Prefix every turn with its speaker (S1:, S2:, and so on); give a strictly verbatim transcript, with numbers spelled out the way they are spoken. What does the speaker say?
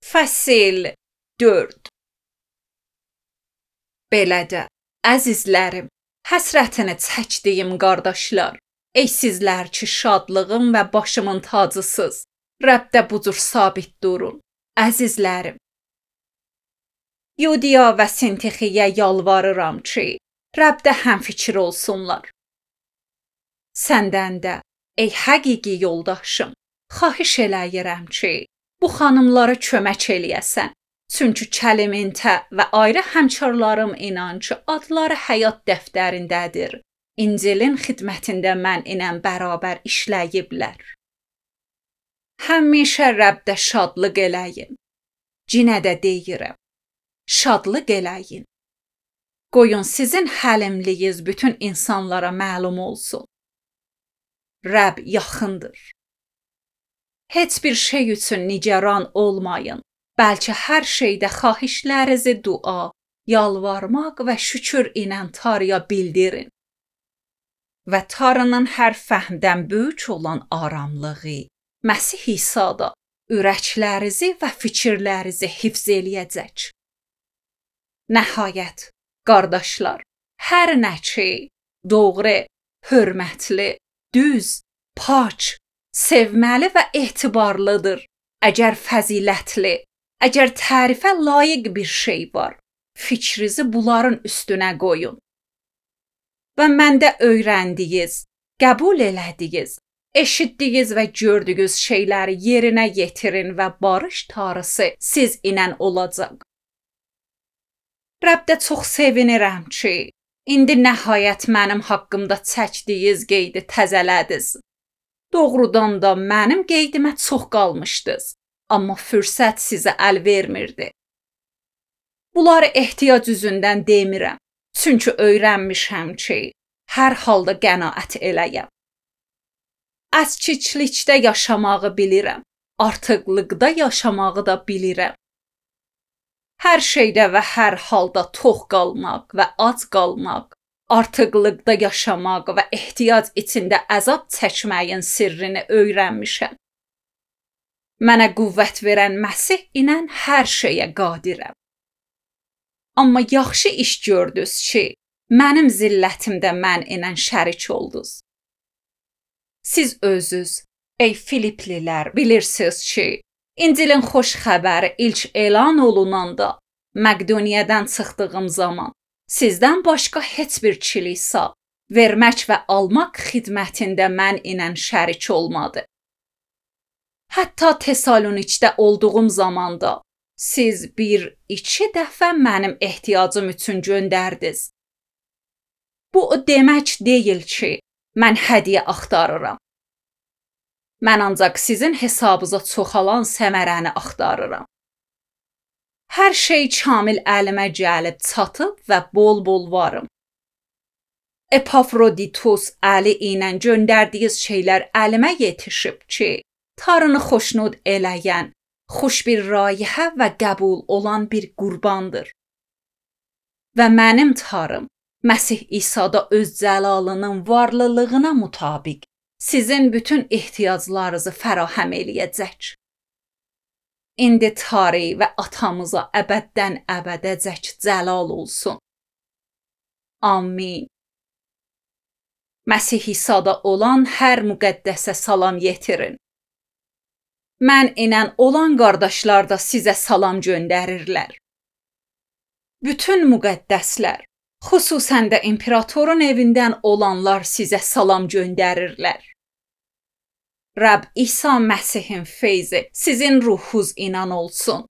S1: Fəsil dörd. Belə də, əzizlərim, həsrətini çəkdiyim qardaşlar, ey sizlər ki şadlığım və başımın tacısız, Rəbdə bu cür sabit durun, əzizlərim. Yudiya və Sintixiyə yalvarıram ki, Rəbdə həmfikir olsunlar. Səndən də, ey həqiqi yoldaşım, xahiş eləyirəm ki, bu xanımlara kömək eləyəsən. Çünki kəlimintə və ayrı həmkarlarım inan ki, adları həyat dəftərindədir. İncilin xidmətində mən ilə bərabər işləyiblər. Həmişə Rəbdə şadlıq eləyin. Cinə də deyirəm, şadlıq eləyin. Qoyun sizin həlimliyiz bütün insanlara məlum olsun. Rəbb yaxındır. Heç bir şey üçün nigaran olmayın. Bəlkə hər şeydə xahişlərinizi dua, yalvarmaq və şükür ilə Tanrıya bildirin. Və Tanrının hər fəhmdən böyük olan aramlığı, Məsih İsa'da ürəklərinizi və fikirlərinizi hifz eləyəcək. Nəhayət, qardaşlar, hər nə ki, doğru, hörmətli, düz, pak, sevməli və etibarlıdır, əgər fəzilətli, əgər tərifə layiq bir şey var, fikrinizi bunların üstünə qoyun. Və məndə öyrəndiyiniz, qəbul elədiyiniz, eşitdiyiniz və gördüyünüz şeyləri yerinə yetirin və barış Tanrısı siz ilə olacaq. Rəbdə çox sevinirəm ki, indi nəhayət mənim haqqımda çəkdiyiniz qeydi təzələdiniz. Doğrudan da mənim qeydimə çox qalmışdınız. Amma fürsət sizə əl vermirdi. Bunları ehtiyac üzündən demirəm. Çünki öyrənmişəm ki, hər halda qənaət eləyəm. Əskiklikdə yaşamağı bilirəm. Artıqlıqda yaşamağı da bilirəm. Hər şeydə və hər halda tox qalmaq və ac qalmaq, artıqlıqda yaşamaq və ehtiyac içində əzab çəkməyin sirrini öyrənmişəm. Mənə qüvvət verən Məsih ilə hər şeyə qadirəm. Amma yaxşı iş gördünüz ki, mənim zillətimdə mən ilə şərik oldunuz. Siz özünüz, ey Filiplilər, bilirsiniz ki, İncilin xoş xəbəri ilk elan olunanda, Məqdoniyadan çıxdığım zaman, sizdən başqa heç bir kilisa, vermək və almaq xidmətində mən ilə şərik olmadı. Hətta Tesalonikdə olduğum zamanda siz bir, iki dəfə mənim ehtiyacım üçün göndərdiniz. Bu o demək deyil ki, mən hədiyyə axtarıram. Mən ancaq sizin hesabınıza çoxalan səmərəni axtarıram. Hər şey kamil əlimə gəlib çatıb və bol-bol varım. Epafroditus əli ilə göndərdiyiniz şeylər əlimə yetişib ki, Tanrını xoşnud eləyən, xoş bir rayihə və qəbul olan bir qurbandır. Və mənim Tanrım, Məsih İsa'da öz cəlalının varlılığına mutabiq, sizin bütün ehtiyaclarınızı fərahəm eləyəcək. İndi Tanrı və atamıza əbəddən əbədəcək cəlal olsun. Amin. Məsih İsa'da olan hər müqəddəsə salam yetirin. Mən ilə olan qardaşlar da sizə salam göndərirlər. Bütün müqəddəslər, xüsusən də imperatorun evindən olanlar sizə salam göndərirlər. Rəbb İsa Məsihin feyzi sizin ruhunuz ilə olsun.